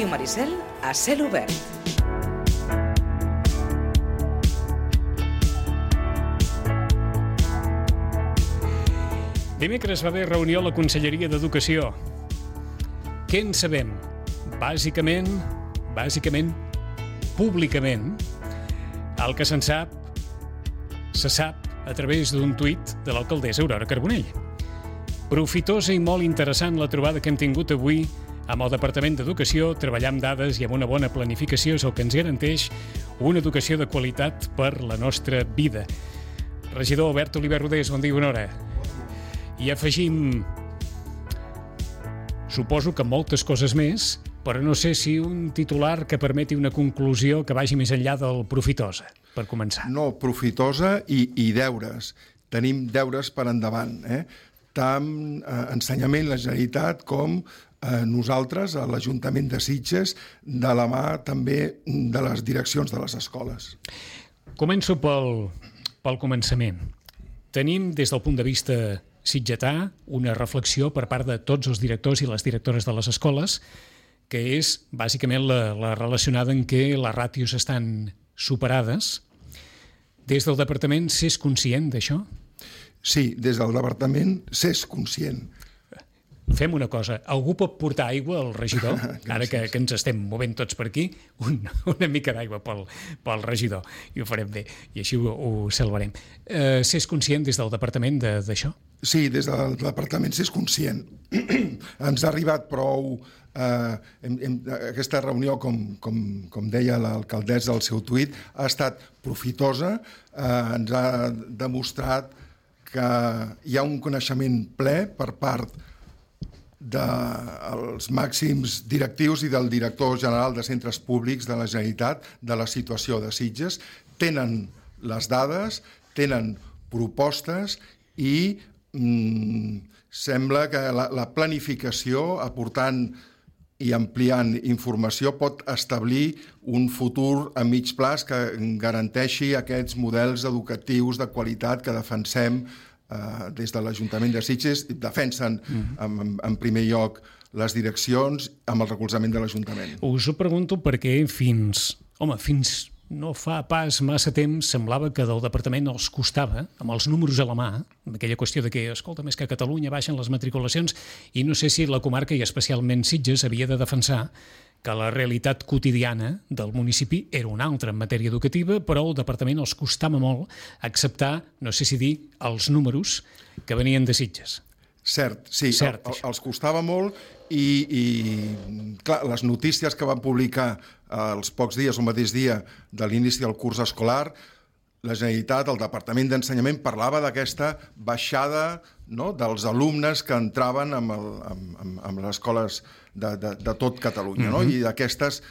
Ràdio Maricel a cel obert. Dimecres va haver reunió a la Conselleria d'Educació. Què en sabem? Bàsicament, públicament, el que se sap a través d'un tuit de l'alcaldessa Aurora Carbonell. Profitosa i molt interessant la trobada que hem tingut avui amb el Departament d'Educació, treballar amb dades i amb una bona planificació és el que ens garanteix una educació de qualitat per la nostra vida. Regidor Albert Oliver Rodés, bon dia i bona hora. I afegim, suposo que moltes coses més, però no sé si un titular que permeti una conclusió que vagi més enllà del profitosa, per començar. No, profitosa i deures. Tenim deures per endavant, tant ensenyament, la Generalitat, com nosaltres, a l'Ajuntament de Sitges, de la mà també de les direccions de les escoles. Començo pel començament. Tenim, des del punt de vista sitgetà, una reflexió per part de tots els directors i les directores de les escoles, que és bàsicament la relacionada en què les ràtios estan superades. Des del departament s'és conscient d'això? Sí, des del departament s'és conscient. Fem una cosa, algú pot portar aigua al regidor, ara que ens estem movent tots per aquí, una mica d'aigua pel regidor, i ho farem bé, i així ho salvarem. S'és conscient des del departament d'això? Sí, des del departament s'és conscient. Ens ha arribat prou... aquesta reunió, com deia l'alcaldessa al seu tuit, ha estat profitosa, ens ha demostrat que hi ha un coneixement ple per part dels màxims directius i del director general de centres públics de la Generalitat de la situació de Sitges. Tenen les dades, tenen propostes i sembla que la planificació, aportant i ampliant informació, pot establir un futur a mig plaç que garanteixi aquests models educatius de qualitat que defensem des de l'Ajuntament de Sitges. Defensen en primer lloc les direccions amb el recolzament de l'Ajuntament. Us ho pregunto perquè fins no fa pas massa temps semblava que del departament els costava, amb els números a la mà, amb aquella qüestió de que, escolta, més que a Catalunya baixen les matriculacions, i no sé si la comarca i especialment Sitges havia de defensar que la realitat quotidiana del municipi era una altra en matèria educativa, però al departament els costava molt acceptar, no sé si dir, els números que venien de Sitges. Cert, sí, els costava molt i clar, les notícies que van publicar els pocs dies, el mateix dia de l'inici del curs escolar, la Generalitat, el Departament d'Ensenyament, parlava d'aquesta baixada, no?, dels alumnes que entraven amb les escoles de tot Catalunya, no? I d'aquestes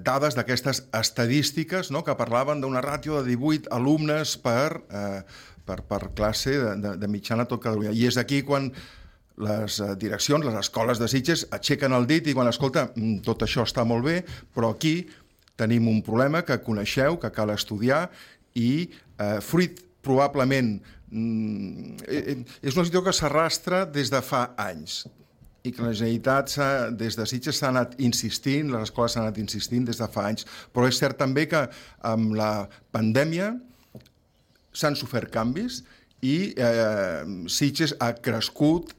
dades, d'aquestes estadístiques, no?, que parlaven d'una ràtio de 18 alumnes per classe de mitjana a tot Catalunya. I és aquí quan les direccions, les escoles de Sitges aixequen el dit i diuen, escolta, tot això està molt bé, però aquí tenim un problema que coneixeu, que cal estudiar, i fruit probablement és una situació que s'arrastra des de fa anys i que la Generalitat des de Sitges s'ha anat insistint, les escoles s'han anat insistint des de fa anys, però és cert també que amb la pandèmia s'han sofert canvis i Sitges ha crescut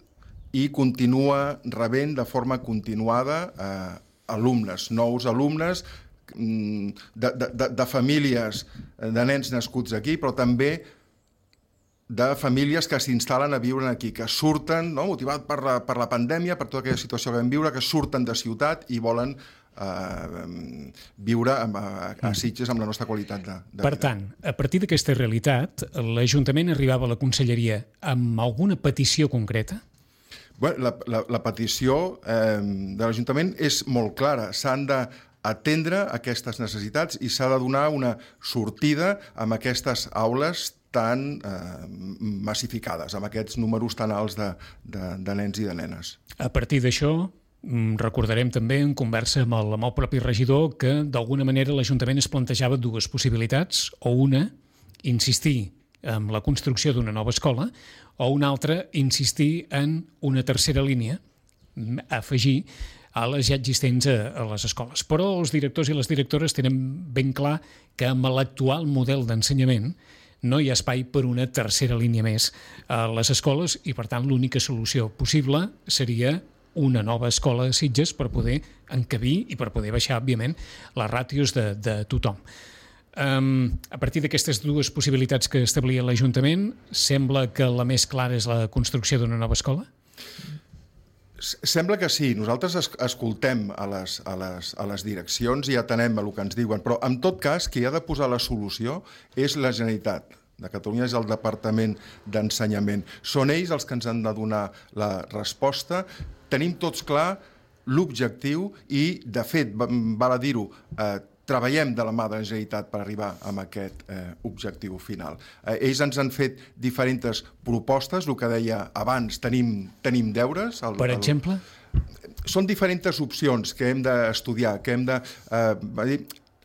i continua rebent de forma continuada alumnes, nous alumnes de famílies de nens nascuts aquí, però també de famílies que s'instal·len a viure aquí, que surten, no?, motivat per la pandèmia, per tota aquella situació que vam viure, que surten de ciutat i volen viure a Sitges amb la nostra qualitat de vida. Per tant, a partir d'aquesta realitat, l'Ajuntament arribava a la Conselleria amb alguna petició concreta? Bé, la petició de l'Ajuntament és molt clara. S'han d'atendre aquestes necessitats i s'ha de donar una sortida amb aquestes aules tan massificades, amb aquests números tan alts de nens i de nenes. A partir d'això, recordarem també en conversa amb el propi regidor que d'alguna manera l'Ajuntament es plantejava dues possibilitats, o una, insistir en la construcció d'una nova escola, o una altra, insistir en una tercera línia, afegir a les ja existents a les escoles. Però els directors i les directores tenen ben clar que amb l'actual model d'ensenyament no hi ha espai per una tercera línia més a les escoles i, per tant, l'única solució possible seria una nova escola a Sitges per poder encabir i per poder baixar, òbviament, les ràtios de tothom. A partir d'aquestes dues possibilitats que establia l'Ajuntament, sembla que la més clara és la construcció d'una nova escola? Sembla que sí. Nosaltres escoltem a les direccions i atenem a el que ens diuen, però en tot cas qui ha de posar la solució és la Generalitat de Catalunya, és el Departament d'Ensenyament. Són ells els que ens han de donar la resposta. Tenim tots clar l'objectiu i, de fet, val a dir-ho, treballem de la mà de la Generalitat per arribar a aquest objectiu final. Ells ens han fet diferents propostes, el que deia abans, tenim deures. Per exemple? Són diferents opcions que hem d'estudiar, que hem de...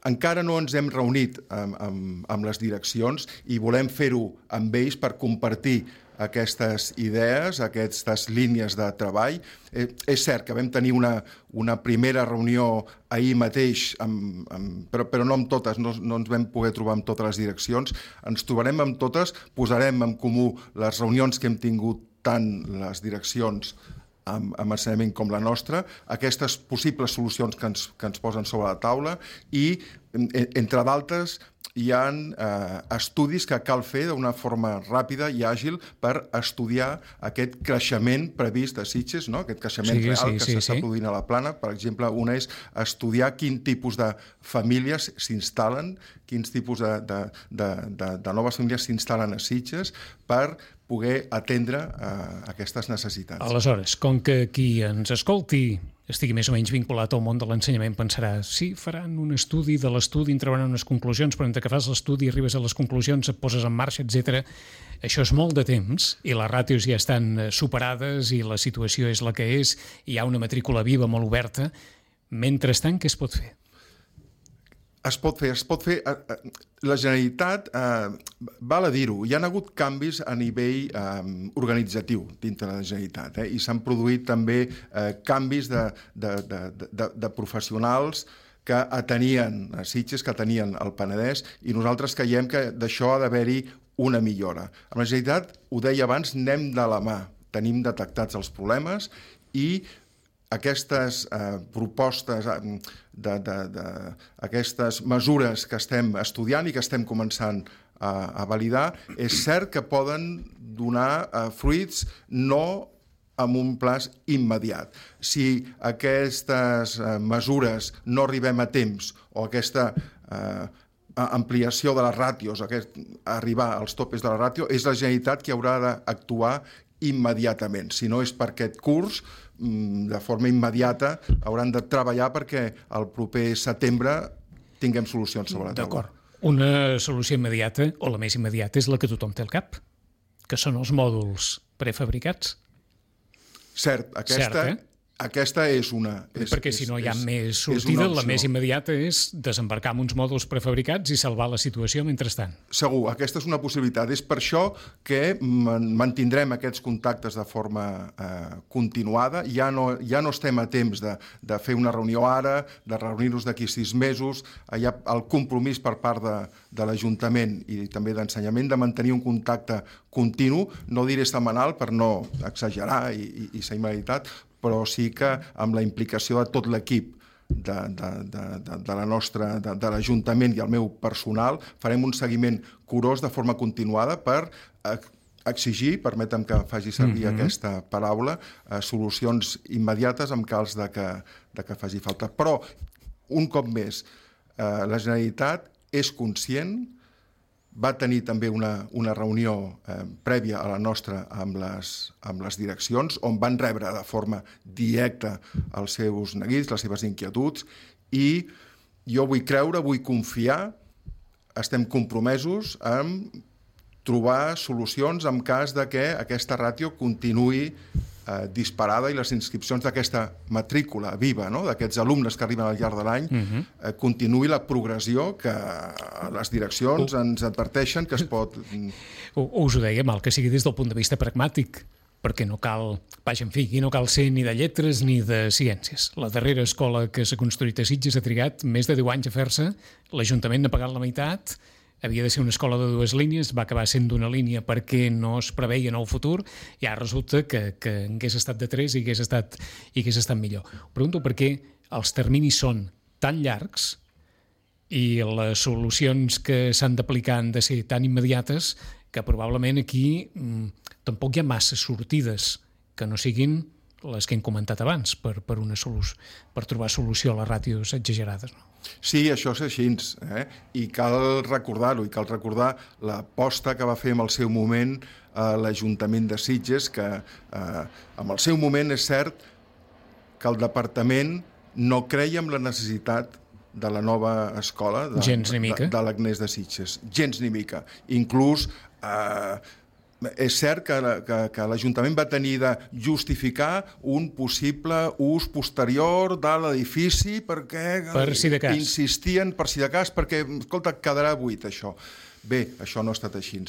Encara no ens hem reunit amb les direccions i volem fer-ho amb ells per compartir aquestes idees, aquestes línies de treball. És cert que vam tenir una primera reunió ahir mateix, però no amb totes, no ens vam poder trobar amb totes les direccions. Ens trobarem amb totes, posarem en comú les reunions que hem tingut tant les direccions amb ensenyament com la nostra, aquestes possibles solucions que ens posen sobre la taula i, entre d'altres, hi ha estudis que cal fer d'una forma ràpida i àgil per estudiar aquest creixement previst a Sitges, no? Aquest creixement real que s'està produint a la Plana. Per exemple, una és estudiar quin tipus de famílies s'instal·len, quins tipus de noves famílies s'instal·len a Sitges per poder atendre aquestes necessitats. Aleshores, com que qui ens escolti estigui més o menys vinculat al món de l'ensenyament pensarà, sí, faran un estudi, de l'estudi en trauran unes conclusions, però entre que fas l'estudi, arribes a les conclusions, et poses en marxa, etc. Això és molt de temps i les ràtios ja estan superades i la situació és la que és, hi ha una matrícula viva molt oberta. Mentrestant, què es pot fer? Es pot fer. La Generalitat, val a dir-ho, hi ha hagut canvis a nivell organitzatiu dintre la Generalitat i s'han produït també canvis de professionals que atenien a Sitges, que atenien al Penedès, i nosaltres creiem que d'això ha d'haver-hi una millora. Amb la Generalitat, ho deia abans, anem de la mà, tenim detectats els problemes i aquestes propostes, aquestes mesures que estem estudiant i que estem començant a validar, és cert que poden donar fruits no amb un plaç immediat. Si aquestes mesures no arribem a temps o aquesta ampliació de les ràtios, arribar als topes de la ràtio, és la Generalitat qui haurà d'actuar immediatament. Si no és per aquest curs, de forma immediata hauran de treballar perquè el proper setembre tinguem solucions sobre la taula. D'acord. Una solució immediata, o la més immediata, és la que tothom té al cap, que són els mòduls prefabricats. Cert, aquesta és una... Perquè si no hi ha més sortida, la més immediata és desembarcar amb uns mòduls prefabricats i salvar la situació mentrestant. Segur, aquesta és una possibilitat. És per això que mantindrem aquests contactes de forma continuada. Ja no estem a temps de fer una reunió ara, de reunir-nos d'aquí 6 mesos. Hi ha el compromís per part de l'Ajuntament i també d'Ensenyament de mantenir un contacte continu, no diré setmanal per no exagerar i ser immediat, però sí que amb la implicació de tot l'equip de l'Ajuntament i el meu personal farem un seguiment curós de forma continuada per exigir, permetem que faci servir aquesta paraula, solucions immediates en cas de que faci falta. Però, un cop més, la Generalitat és conscient, va tenir també una reunió prèvia a la nostra amb les direccions, on van rebre de forma directa els seus neguits, les seves inquietuds, i jo vull creure, vull confiar, estem compromesos en trobar solucions en cas de que aquesta ràtio continuï disparada i les inscripcions d'aquesta matrícula viva, no? D'aquests alumnes que arriben al llarg de l'any, continuï la progressió que les direccions ens adverteixen que es pot... Us ho deia, mal que sigui des del punt de vista pragmàtic. perquè no cal, vaja, en fi, aquí no cal ser ni de lletres ni de ciències. La darrera escola que s'ha construït a Sitges ha trigat més de 10 anys a fer-se, l'Ajuntament n'ha pagat la meitat, havia de ser una escola de 2 línies, va acabar sent d'una línia perquè no es preveia en el futur, i ara resulta que hagués estat de 3 i hagués estat millor. Ho pregunto perquè els terminis són tan llargs i les solucions que s'han d'aplicar han de ser tan immediates que probablement aquí tampoc hi ha massa sortides que no siguin les que hem comentat abans per trobar solució a les ràtios exagerades. No? Sí, això és així, i cal recordar-ho, i cal recordar l'aposta que va fer en el seu moment l'Ajuntament de Sitges, que en el seu moment és cert que el departament no creia en la necessitat de la nova escola de l'Agnès de Sitges. Gens ni mica. Inclús és cert que l'Ajuntament va tenir de justificar un possible ús posterior de l'edifici perquè insistien per si de cas, perquè, escolta, quedarà buit això. Bé, això no ha estat així.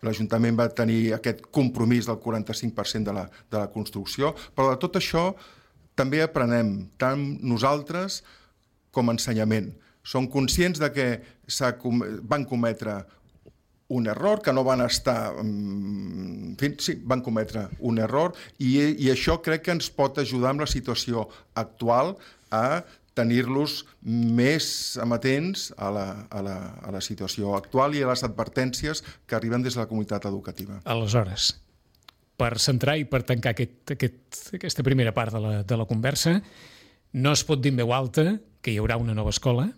L'Ajuntament va tenir aquest compromís del 45% de la construcció, però de tot això també aprenem, tant nosaltres com a ensenyament. Som conscients de que van cometre un error, que no van estar... En fi, sí, van cometre un error i això crec que ens pot ajudar amb la situació actual a tenir-los més amatents a la situació actual i a les advertències que arriben des de la comunitat educativa. Aleshores, per centrar i per tancar aquesta primera part de la conversa, no es pot dir en veu alta que hi haurà una nova escola?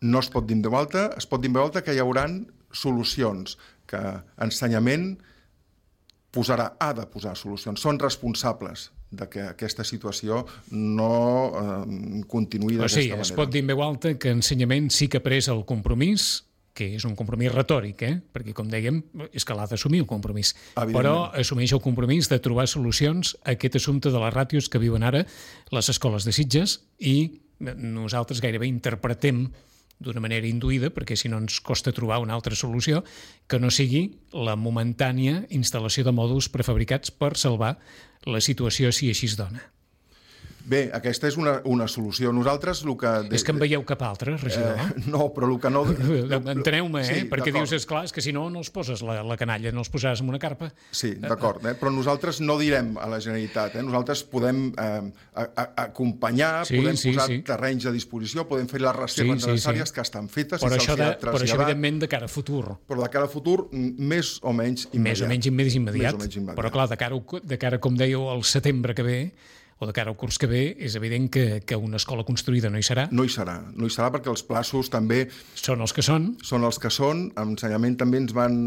No es pot dir en veu alta, es pot dir en veu alta que hi hauran solucions, que ensenyament ha de posar solucions. Són responsables de que aquesta situació no continuï d'aquesta manera. O sigui, es pot dir en veu alta que ensenyament sí que ha pres el compromís, que és un compromís retòric, perquè, com dèiem, és que l'ha d'assumir el compromís. Però assumeix el compromís de trobar solucions a aquest assumpte de les ràtios que viuen ara les escoles de Sitges i nosaltres gairebé interpretem d'una manera induïda, perquè si no ens costa trobar una altra solució, que no sigui la momentània instal·lació de mòduls prefabricats per salvar la situació si així es dona. Bé, aquesta és una solució. Nosaltres el que... És que en veieu cap altre, regidor? No, però el que no... Enteneu-me, sí, perquè dius, esclar, és que si no, no els poses la canalla, no els posaràs en una carpa. Sí, d'acord, però nosaltres no direm a la Generalitat, nosaltres podem acompanyar, podem posar terrenys a disposició, podem fer les reserves necessàries que estan fetes. Però això, evidentment, de cara a futur. Però de cara a futur, més o menys immediat. Més o menys immediat. Però, clar, de cara, com dèieu, al setembre que ve, o de cara al curs que ve, és evident que una escola construïda no hi serà. No hi serà perquè els plaços també... Són els que són. Són els que són. Ensenyament també ens van...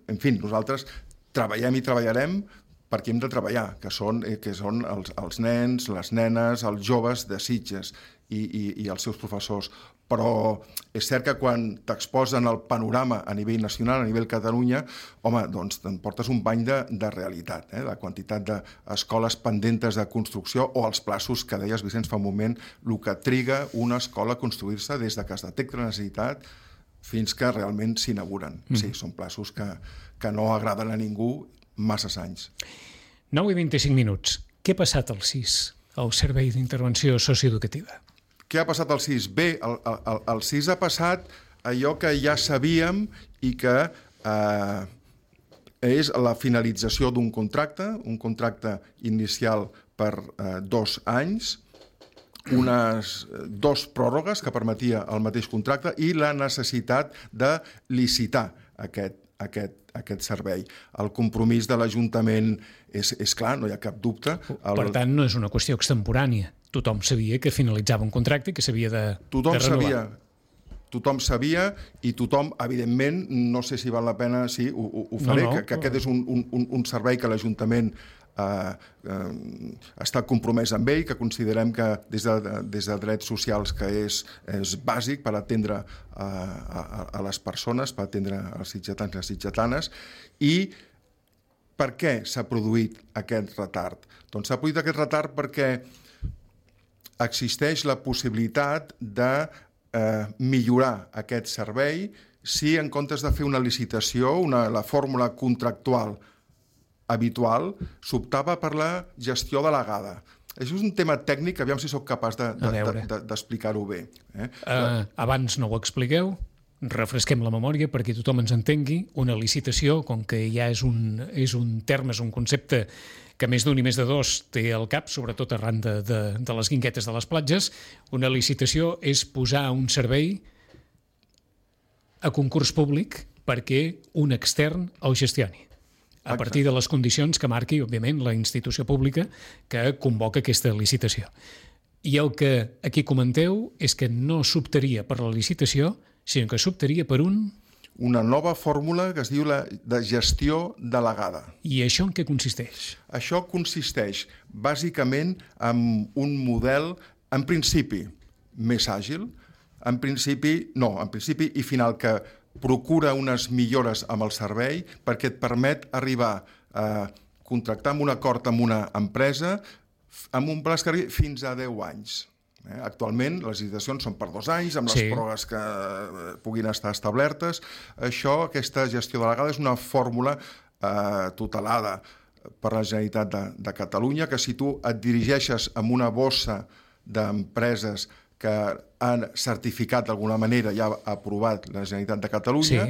En fi, nosaltres treballem i treballarem perquè hem de treballar, que són els nens, les nenes, els joves de Sitges i els seus professors. Però és cert que quan t'exposen el panorama a nivell nacional, a nivell Catalunya, home, doncs te'n portes un bany de realitat, la quantitat d'escoles pendentes de construcció o els plaços que deies, Vicenç, fa un moment, el que triga una escola a construir-se des de que es detecta la necessitat fins que realment s'inauguren. Sí, són plaços que no agraden a ningú masses anys. 9 i 25 minuts. Què ha passat al CIS, el Servei d'Intervenció Socioeducativa? Què ha passat al CIS? Bé, el CIS ha passat allò que ja sabíem i que és la finalització d'un contracte, un contracte inicial per 2 anys, unes 2 pròrrogues que permetia el mateix contracte i la necessitat de licitar aquest servei. El compromís de l'Ajuntament és clar, no hi ha cap dubte. Per tant, no és una qüestió extemporània. Tothom sabia que finalitzava un contracte i que s'havia de renovar. Tothom sabia i tothom, evidentment, no sé si val la pena, sí, ho faré, que aquest és un servei que l'Ajuntament està compromès amb ell, que considerem que des de drets socials que és bàsic per atendre a les persones, per atendre els sitgetans i les sitgetanes. I per què s'ha produït aquest retard? Doncs s'ha produït aquest retard perquè existeix la possibilitat de millorar aquest servei si en comptes de fer una licitació, la fórmula contractual habitual, s'optava per la gestió delegada. Això és un tema tècnic, aviam si sóc capaç d'explicar-ho bé. Abans no ho expliqueu, refresquem la memòria perquè tothom ens entengui. Una licitació, com que ja és un terme, és un concepte que més d'un i més de dos té al cap, sobretot arran de les guinguetes de les platges, una licitació és posar un servei a concurs públic perquè un extern el gestioni, a partir de les condicions que marqui, òbviament, la institució pública que convoca aquesta licitació. I el que aquí comenteu és que no s'optaria per la licitació, sinó que s'optaria per una nova fórmula que es diu la de gestió delegada. I això en què consisteix? Això consisteix bàsicament en un model, en principi, més àgil, en principi i final, que procura unes millores amb el servei perquè et permet arribar a contractar amb un acord amb una empresa amb un pla fins a 10 anys. Actualment les licitacions són per 2 anys, amb les pròrrogues que puguin estar establertes. Aquesta gestió delegada és una fórmula tutelada per la Generalitat de Catalunya, que si tu et dirigeixes amb una bossa d'empreses que han certificat d'alguna manera, ja ha aprovat la Generalitat de Catalunya,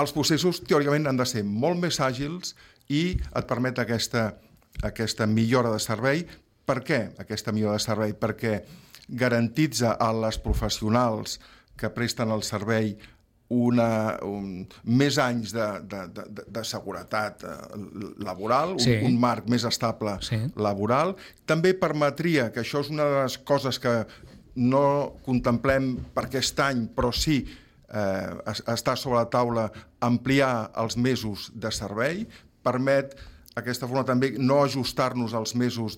els processos teòricament han de ser molt més àgils i et permet aquesta millora de servei. Per què aquesta millora de servei? Perquè garantitza a les professionals que presten el servei més anys de seguretat laboral, un marc més estable laboral. També permetria, que això és una de les coses que no contemplem per aquest any, però sí està sobre la taula, ampliar els mesos de servei, permet aquesta forma també no ajustar-nos als mesos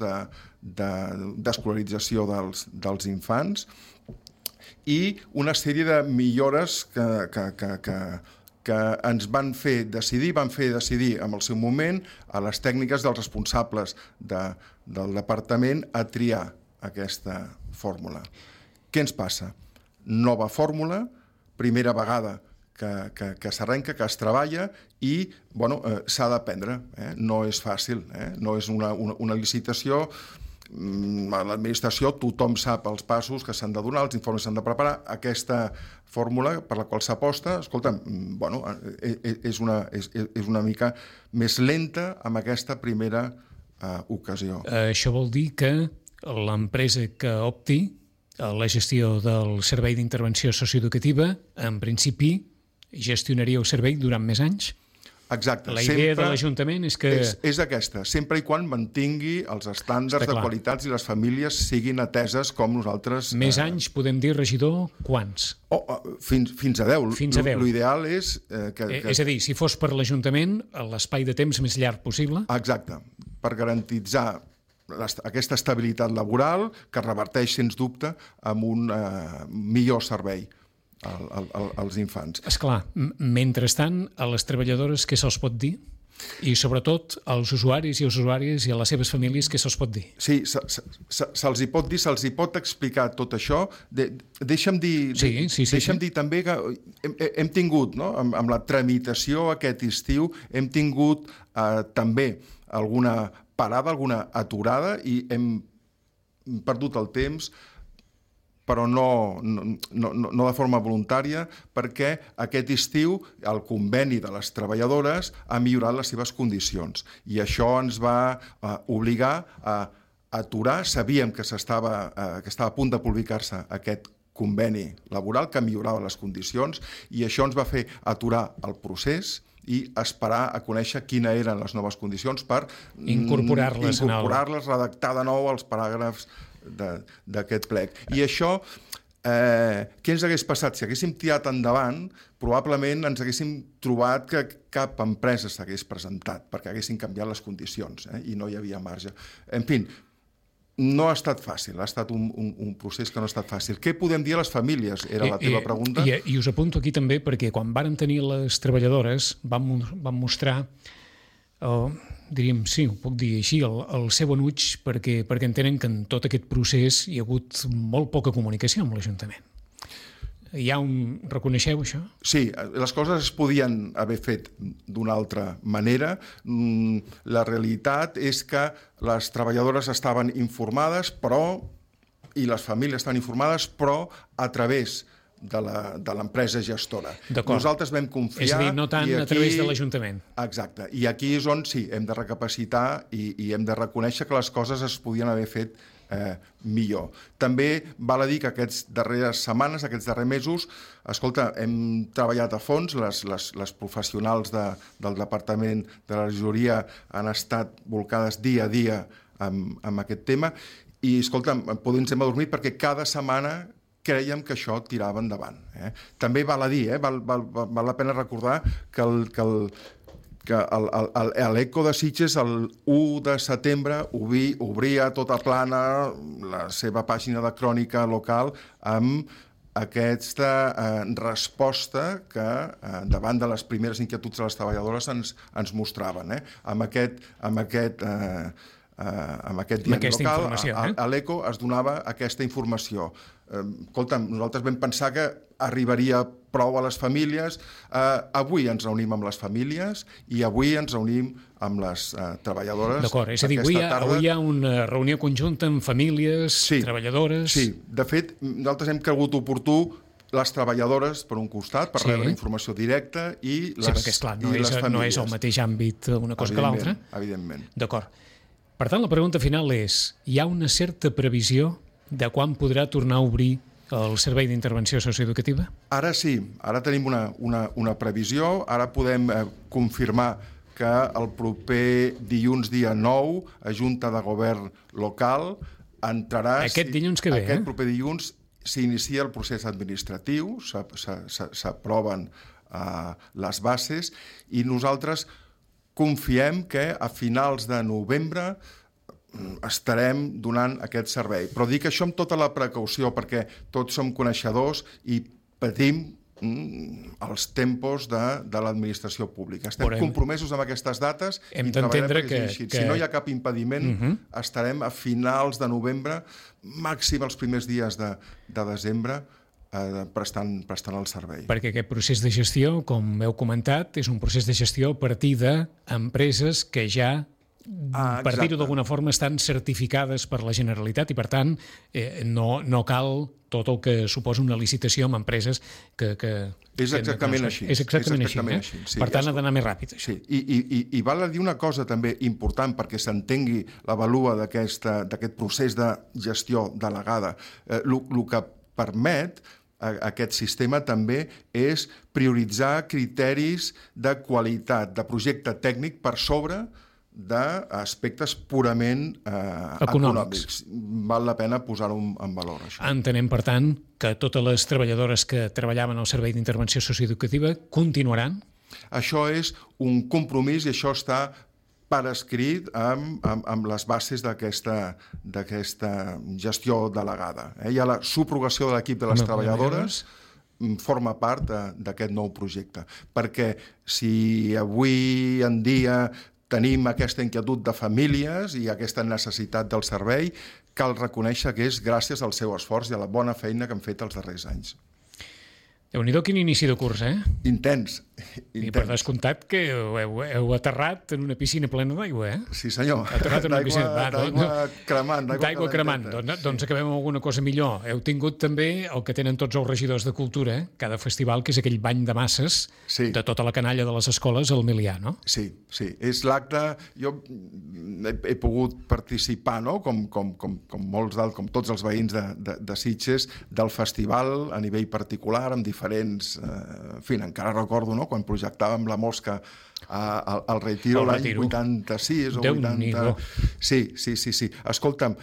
d'escolarització dels infants, i una sèrie de millores que ens van fer decidir en el seu moment a les tècniques dels responsables del departament a triar aquesta fórmula. Què ens passa? Nova fórmula, primera vegada que s'arrenca, que es treballa i s'ha d'aprendre. No és fàcil, no és una licitació. A l'administració tothom sap els passos que s'han de donar, els informes s'han de preparar. Aquesta fórmula per la qual s'aposta, escolta, és una mica més lenta amb aquesta primera ocasió. Això vol dir que l'empresa que opti a la gestió del servei d'intervenció socioeducativa, en principi, gestionaria el servei durant més anys? Exacte. La idea de l'Ajuntament és que... És aquesta, sempre i quan mantingui els estàndards de qualitats i les famílies siguin ateses com nosaltres... Més anys, podem dir, regidor, quants? Fins a 10. Fins a 10. L'ideal és... És a dir, si fos per l'Ajuntament, l'espai de temps més llarg possible? Exacte, per garantitzar aquesta estabilitat laboral que reverteix, sens dubte, amb un millor servei als infants. Esclar, mentrestant, a les treballadores què se'ls pot dir? I sobretot als usuaris i usuàries i a les seves famílies què se'ls pot dir? Sí, se'ls hi pot dir, se'ls hi pot explicar tot això. Deixa'm dir també que hem tingut, amb la tramitació aquest estiu, hem tingut també alguna parada, alguna aturada, i hem perdut el temps, però no de forma voluntària, perquè aquest estiu el conveni de les treballadores ha millorat les seves condicions i això ens va obligar a aturar. Sabíem que estava a punt de publicar-se aquest conveni laboral que millorava les condicions i això ens va fer aturar el procés i esperar a conèixer quines eren les noves condicions per incorporar-les, redactar de nou els paràgrafs d'aquest plec. I això, què ens hagués passat? Si haguéssim tirat endavant, probablement ens haguéssim trobat que cap empresa s'hagués presentat perquè haguessin canviat les condicions i no hi havia marge. En fi, no ha estat fàcil, ha estat un procés que no ha estat fàcil. Què podem dir a les famílies? Era la teva pregunta. I us apunto aquí també perquè quan varen tenir les treballadores van mostrar, diríem, sí, ho puc dir així, el seu enuig perquè entenen que en tot aquest procés hi ha hagut molt poca comunicació amb l'Ajuntament. Reconeixeu això? Sí, les coses es podien haver fet d'una altra manera. La realitat és que les treballadores estaven informades, i les famílies estan informades, però a través de l'empresa gestora. Nosaltres vam confiar... És a dir, no tant a través de l'Ajuntament. Exacte. I aquí és on sí, hem de recapacitar i hem de reconèixer que les coses es podien haver fet millor. També val a dir que aquestes darreres setmanes, aquests darrers mesos, escolta, hem treballat a fons, les professionals del Departament de la Regidoria han estat volcades dia a dia amb aquest tema i, escolta, ens hem adormit perquè cada setmana crèiem que això tirava endavant. També val a dir, val la pena recordar que l'Eco de Sitges el 1 de setembre obria tota plana la seva pàgina de crònica local amb aquesta resposta que davant de les primeres inquietuds de les treballadores ens mostraven. Amb aquest diari local, a l'Eco es donava aquesta informació. Escolta'm, nosaltres vam pensar que arribaria prou a les famílies. Avui ens reunim amb les famílies i avui ens reunim amb les treballadores. D'acord, és a dir, avui hi ha una reunió conjunta amb famílies, treballadores... Sí, de fet, nosaltres hem cregut oportú les treballadores, per un costat, per rebre informació directa i les famílies. Sí, perquè, esclar, no és el mateix àmbit una cosa que l'altra. Evidentment. D'acord. Per tant, la pregunta final és, hi ha una certa previsió de quan podrà tornar a obrir el Servei d'Intervenció Socioeducativa? Ara sí, ara tenim una previsió, ara podem confirmar que el proper dilluns, dia 9, a Junta de Govern local entrarà... Aquest dilluns que ve, Aquest proper dilluns s'inicia el procés administratiu, s'aproven les bases i nosaltres confiem que a finals de novembre estarem donant aquest servei. Però dic això amb tota la precaució perquè tots som coneixedors i patim els tempos de l'administració pública. Estem compromesos amb aquestes dates i treballarem perquè sigui així. Si no hi ha cap impediment, estarem a finals de novembre, màxim els primers dies de desembre, prestant el servei. Perquè aquest procés de gestió, com heu comentat, és un procés de gestió a partir d'empreses que ja per dir-ho d'alguna forma, estan certificades per la Generalitat i, per tant, no cal tot el que suposa una licitació amb empreses que... És exactament així. És exactament així. Per tant, ha d'anar més ràpid. Sí, i val a dir una cosa també important perquè s'entengui la valua d'aquest procés de gestió delegada. El que permet aquest sistema també és prioritzar criteris de qualitat, de projecte tècnic per sobre d'aspectes purament econòmics. Val la pena posar-ho en valor, això. Entenem, per tant, que totes les treballadores que treballaven al Servei d'Intervenció Socioeducativa continuaran? Això és un compromís i això està per escrit amb les bases d'aquesta gestió delegada. Hi ha la subrogació de l'equip de les treballadores, forma part d'aquest nou projecte. Perquè si avui en dia tenim aquesta inquietud de famílies i aquesta necessitat del servei, cal reconèixer que és gràcies al seu esforç i a la bona feina que han fet els darrers anys. Déu-n'hi-do quin inici de curs, Intens. I per descomptat que heu aterrat en una piscina plena d'aigua, Sí, senyor. Aterrat en una piscina d'aigua cremant. D'aigua cremant. Doncs acabem amb alguna cosa millor. Heu tingut també el que tenen tots els regidors de cultura, cada festival, que és aquell bany de masses de tota la canalla de les escoles al Milià, no? Sí. És l'acte... Jo he pogut participar, com molts com tots els veïns de Sitges, del festival a nivell particular, amb diferents... En fi, encara recordo, quan projectàvem La Mosca al Retiro l'any 86 o 80... Sí. Escolta'm,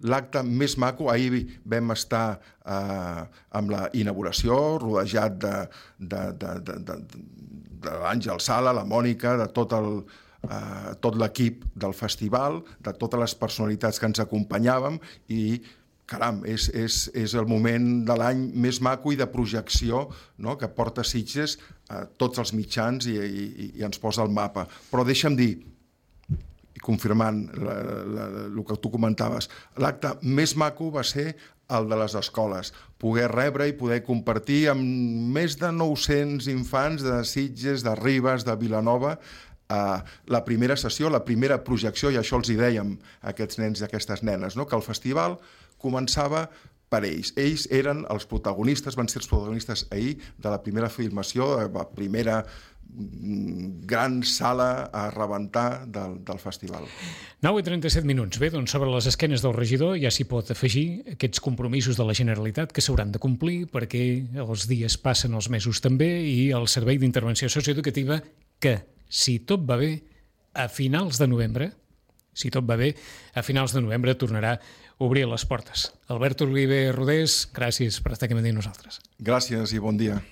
l'acte més maco, ahir vam estar amb la inauguració, rodejat de l'Àngel Sala, la Mònica, de tot l'equip del festival, de totes les personalitats que ens acompanyàvem i caram, és el moment de l'any més maco i de projecció que porta Sitges a tots els mitjans i ens posa el mapa. Però deixa'm dir, confirmant el que tu comentaves, l'acte més maco va ser el de les escoles, poder rebre i poder compartir amb més de 900 infants de Sitges, de Ribes, de Vilanova, la primera sessió, la primera projecció, i això els hi dèiem a aquests nens i aquestes nenes, no? Que el festival començava per ells. Ells eren els protagonistes, van ser els protagonistes ahir de la primera filmació, la primera gran sala a rebentar del festival. 9:37. Bé, doncs sobre les esquenes del regidor ja s'hi pot afegir aquests compromisos de la Generalitat que s'hauran de complir perquè els dies passen, els mesos també, i el Servei d'Intervenció Socioeducativa que, si tot va bé, a finals de novembre, tornarà a obrir les portes. Albert Oliver Rodés, gràcies per estar aquí amb nosaltres. Gràcies i bon dia.